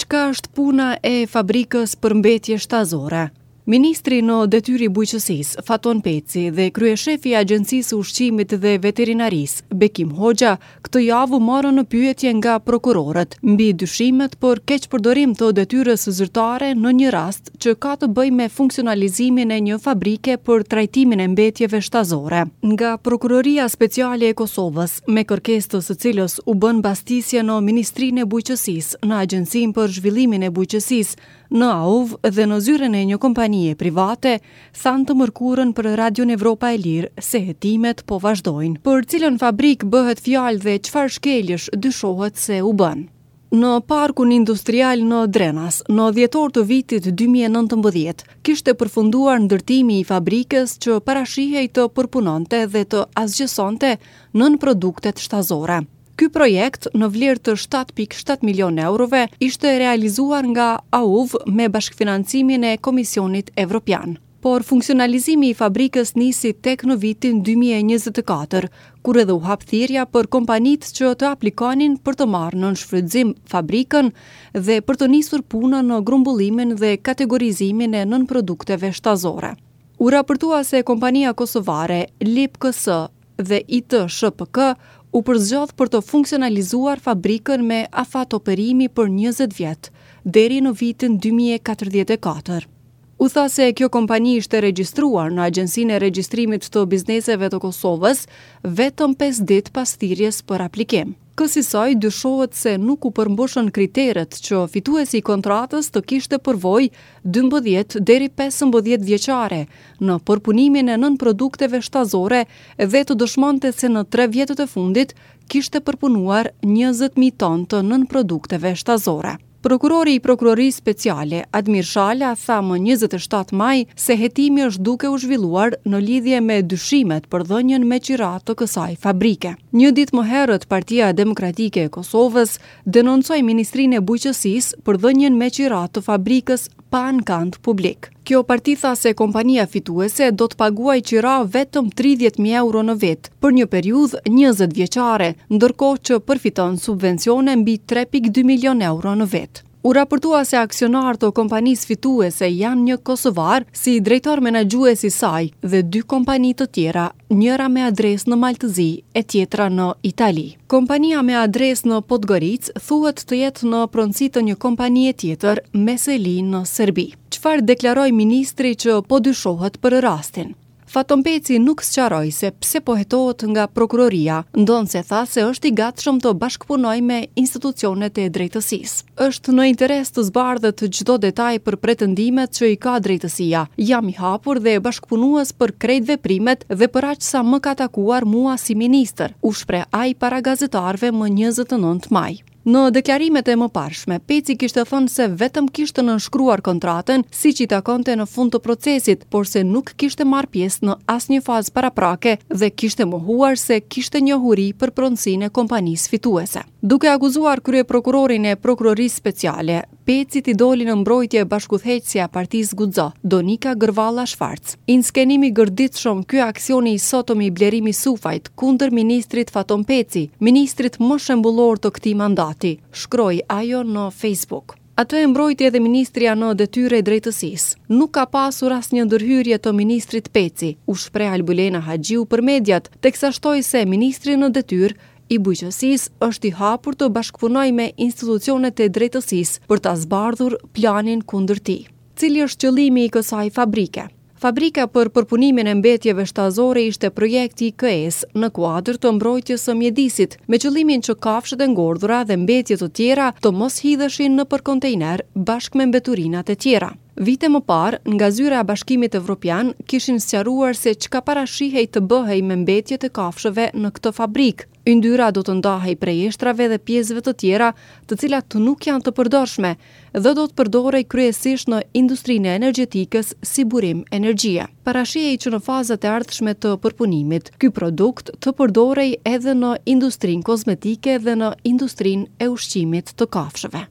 Çka është puna e fabrikës për mbetje shtazore? Ministri në detyrë i Bujqësisë, Faton Peci dhe kryeshefi i Agjencisë së Ushqimit dhe Veterinarisë, Bekim Hoxha, këtë javë u morën në pyetje nga prokurorët mbi dyshimet për keqpërdorim të detyrës zyrtare në një rast që ka të bëjë me funksionalizimin e një fabrike për trajtimin e mbetjeve shtazore. Nga Prokuroria Speciale e Kosovës, me kërkesë të së cilës u bënë bastisje në Ministrinë e Bujqësisë, në Agjencinë për Zhvillimin e Bujqësisë, në AUV dhe në zyrën e një kompanie private, thanë të mërkurën për Radion Evropa e Lirë se hetimet po vazhdojnë. Për cilën fabrikë bëhet fjalë dhe çfarë shkeljesh dyshohet se u bënë? Në parkun industrial në Drenas, në dhjetor të vitit 2019, kishte përfunduar ndërtimi i fabrikës që parashihej të përpunonte dhe të asgjësonte nënproduktet shtazore. Ky projekt, në vlerë të 7.7 milionë eurove, ishte realizuar nga AUV me bashkëfinancimin e Komisionit Evropian. Por funksionalizimi i fabrikës nisi tek në vitin 2024, kur edhe u hap thirrja për kompanitë që të aplikonin për të marrë në shfrytëzim fabrikën dhe për të nisur punën në grumbullimin dhe kategorizimin e nënprodukteve shtazore. U raportua se kompania kosovare LIPKS dhe ITSHPK u përzgjodh për të funksionalizuar fabrikën me afat operimi për 20 vjet, deri në vitin 2044. U tha se kjo kompani ishte regjistruar në Agjencinë e Regjistrimit të Bizneseve të Kosovës vetëm 5 ditë pas thirrjes për aplikim. Kësisoj dyshohet se nuk u përmbushën kriteret që fituesi i kontratës të kishte përvojë 12 deri 15 vjeçare në përpunimin e nënprodukteve shtazore dhe të dëshmonte se në tre vjetët e fundit kishte përpunuar 20.000 ton të nënprodukteve shtazore. Prokurori i Prokurorisë Speciale, Admir Shala, tha më 27 maj se hetimi është duke u zhvilluar në lidhje me dyshimet për dhënien me qira të kësaj fabrike. Një ditë më herët, Partia Demokratike e Kosovës denoncoi Ministrinë e Bujqësisë për dhënien me qira të fabrikës pa ankand publik. Kjo parti tha se kompania fituese do të paguajë qira vetëm 30.000 euro në vit për një periudhë 20 vjeçare, ndërkohë që përfiton subvencione mbi 3.2 milion euro në vit. U raportua se aksionarë të kompanisë fituese janë një kosovar si drejtor menaxhues i saj dhe dy kompani të tjera, njëra me adresë në Mal të Zi e tjetra në Itali. Kompania me adresë në Podgoricë thuhet të jetë në pronësi të një kompanie tjetër me seli në Serbi. Çfarë deklaroi ministri që po dyshohet për rastin? Faton Peci nuk sqaroi se pse po hetohet nga prokuroria, ndonëse tha se është i gatshëm të bashkëpunojë me institucionet e drejtësisë. Është në interes të zbardhet çdo detaj për pretendimet që i ka drejtësia. Jam i hapur dhe bashkëpunues për krejt veprimet dhe për aq sa më ka takuar mua si ministër, u shpreh ai para gazetarëve më 29 maj. Në deklarimet e mëparshme, Peci kishte thënë se vetëm kishte nënshkruar kontratën siç i takonte në fund të procesit, por se nuk kishte marrë pjesë në asnjë fazë paraprake dhe kishte mohuar se kishte njohuri për pronësinë e kompanisë fituese. Duke akuzuar kryeprokurorin e Prokurorisë Speciale, Pecit i doli në mbrojtje bashkudhëheqësja e partisë Guxo, Donika Gërvalla Schwarz. Inskenim i gërditshëm ky aksioni i sotëm i Blerim Isufajt kundër ministrit Faton Peci, ministrit më shembullor të këtij mandati, shkroi ajo në Facebook. Atë e mbrojti edhe ministrja në detyrë e drejtësisë. Nuk ka pasur asnjë ndërhyrje të ministrit Peci, u shpreh Albulena Haxhiu për mediat, teksa shtoi se ministri në detyrë i Bujqësisë është i hapur të bashkëpunojë me institucionet e drejtësisë për ta zbardhur planin kundër tij. Cili është qëllimi i kësaj fabrike? Fabrika për përpunimin e mbetjeve shtazore ishte projekti i KE-së në kuadër të mbrojtjes së mjedisit, me qëllimin që kafshët e ngordhura dhe mbetje të tjera të mos hidheshin nëpër kontejner bashkë me mbeturinat e tjera. Vite më parë, nga zyra e Bashkimit Evropian kishin sqaruar se çka parashihej të bëhej me mbetjet e kafshëve në këtë fabrikë. Yndyra do të ndahej prej eshtrave dhe pjesëve të tjera, të cilat nuk janë të përdorshme dhe do të përdorej kryesisht në industrinë e energjetikës si burim energjie. Parashihej që në fazat e ardhshme të përpunimit, ky produkt të përdorej edhe në industrinë kozmetike dhe në industrinë e ushqimit të kafshëve.